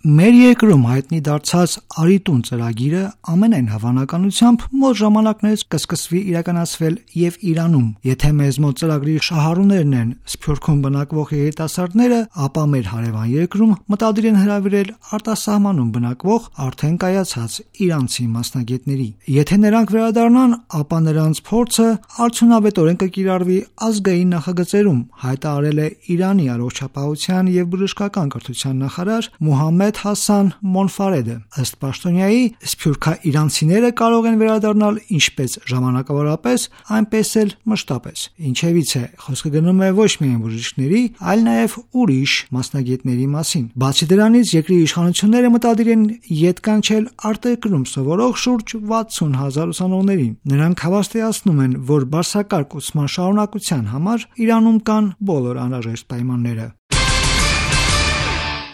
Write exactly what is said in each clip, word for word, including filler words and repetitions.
Մեր երկրում հայտնի դարձած «Արի տուն» ծրագիրը ամենայն հավանականությամբ մոտ ժամանակներից կսկսվի իրականացվել եւ Իրանում։ Եթե մեզ մոտ ծրագրի շահառուներն են Սփյուռքում բնակվող երիտասարդները, ապա մեր հարևան երկրում մտադիր են հրավիրել արտասահմանում բնակվող արդեն կայացած իրանցի մասնագետների։ Եթե նրանք վերադառնան, ապա նրանց փորձը արդյունավետորեն կկիրառվի ազգային նախագծերում, հայտարարել է Իրանի առողջապահության եւ բժշկական կրթության նախարար Մոհամմեդ Հասան Մոնֆարեդը։ Ըստ պաշտոնյայի, սփյուռքաիրանցիները կարող են վերադառնալ ինչպես ժամանակավորապես, այնպես էլ մշտապես։ Ինչևից է խոսքը գնում է ոչ միայն բժիշկների, այլ նաև ուրիշ մասնագետների մասին։ Բացի դրանից, երկրի իշխանությունները մտադիր են ետ կանչել արտերկրում սովորող շուրջ վաթսուն հազար ուսանողներին։ Նրանք հավաստիացնում են, որ բարձրակարգ ուսման շարունակության համար Իրանում կան բոլոր անհրաժեշտ պայմանները։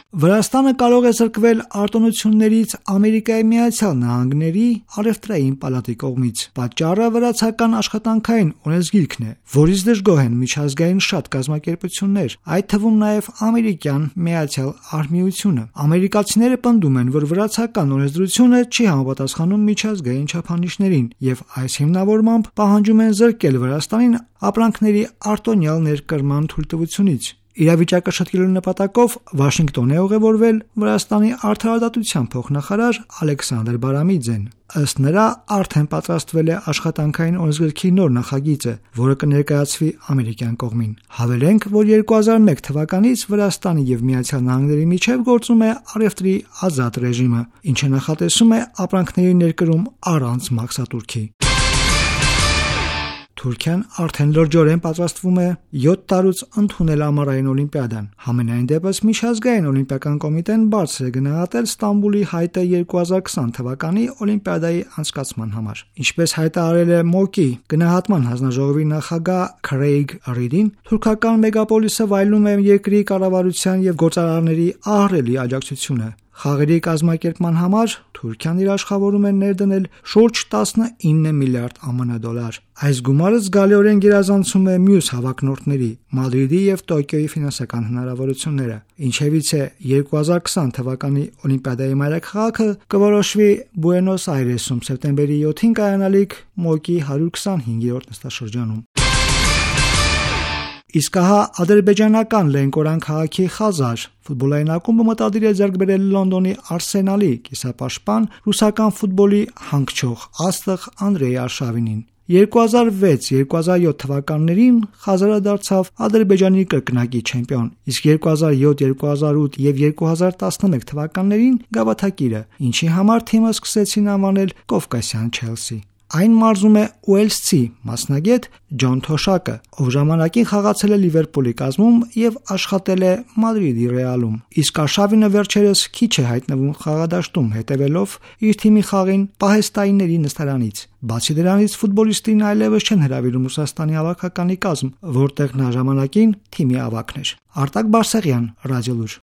Վրաստանը կարող է զրկվել արտոնություններից Ամերիկայի Միացյալ Նահանգների առևտրային պալատի կողմից։ Պատճառը վրացական աշխատանքային օրենսգիրքն է, որից դժգոհ են միջազգային շատ կազմակերպություններ, այդ թվում նաև ամերիկյան Միացյալ Արհմիությունը։ Ամերիկացիները պնդում են, որ վրացական օրենսդրությունը չի համապատասխանում միջազգային չափանիշներին եւ այս հիմնավորմամբ պահանջում են զրկել Վրաստանին ապրանքների արտոնյալ ներկրման թույլտվությունից։ Իրավիճակը շտկելու նպատակով Վաշինգտոն է ուղևորվել Վրաստանի արդարադատության փոխնախարար Ալեքսանդր Բարամիձեն։ Ըստ նրա, արդեն պատրաստվել է աշխատանքային օրենսգրքի նոր նախագիծը, որը կներկայացվի ամերիկյան կողմին։ Հավելենք, որ երկու հազար մեկ թվականից Վրաստանի եւ Միացյալ Նահանգների միջև գործում է առևտրի ազատ ռեժիմը, ինչը նախատեսում է ապրանքների ներկրում առանց մաքսատուրքի։ Թուրքիան արդեն լրջորեն պատրաստվում է յոթ տարուց ընդունել ամառային օլիմպիադան։ Համենայն դեպս միջազգային օլիմպիական կոմիտեն բարձր է գնահատել Ստամբուլի հայտը երկու հազար քսան թվականի օլիմպիադայի անցկացման համար։ Ինչպես հայտարարել է ՄՕԿ-ի գնահատման հանձնաժողովի նախագահ Քրեյգ Ռիդին, թուրքական մեգապոլիսը վայելում է երկրի կառավարության եւ գործարարների ահռելի աջակցությունը։ Խաղերի կազմակերպման համար Թուրքիան իր աշխատավորում է ներդնել շուրջ տասնինը միլիարդ ԱՄՆ դոլար։ Այս գումարը զգալիորեն գերազանցում է մյուս հավակնորդների՝ Մադրիդի եւ Տոկիոյի ֆինանսական հնարավորությունները։ Ինչևից է երկու հազար քսան թվականի օլիմպիադայի մայրաքաղաքը կորոշվի Բուենոս Այրեսում սեպտեմբերի յոթին կայանալիք ՄՕԿ-ի հարյուր քսանհինգերորդ նստաշրջանում։ Իսկ ահա ադրբեջանական Լենկորան քաղաքի Խազար ֆուտբոլային ակումբը մտադիր է ձեռք բերել Լոնդոնի Արսենալի կիսապաշտպան ռուսական ֆուտբոլի հանգչող աստղ Անդրեյ Արշավինին։ երկու հազար վեց երկու հազար յոթ թվականներին Խազարը դարձավ Ադրբեջանի կրկնակի չեմպիոն, իսկ երկու հազար յոթ երկու հազար ութ եւ երկու հազար տասնմեկ թվականներին գավաթակիրը, ինչի համար թիմը սկսեցին անվանել Կովկասյան Չելսի։ Այն մարզում է ուելսցի մասնագետ Ջոն Թոշակը, ով ժամանակին խաղացել է Լիվերպուլի կազմում եւ աշխատել է Մադրիդի Ռեալում։ Իսկ Արշավինը վերջերս քիչ է հայտնվում խաղադաշտում, հետևելով իր թիմի խաղին պահեստայինների նստարանից։ Բացի դրանից, ֆուտբոլիստին այլևս չեն հրավիրում Ռուսաստանի հավաքականի կազմ, որտեղ նա ժամանակին թիմի ավագն էր։ Արտակ Բարսեղյան, Ռադիոլուր։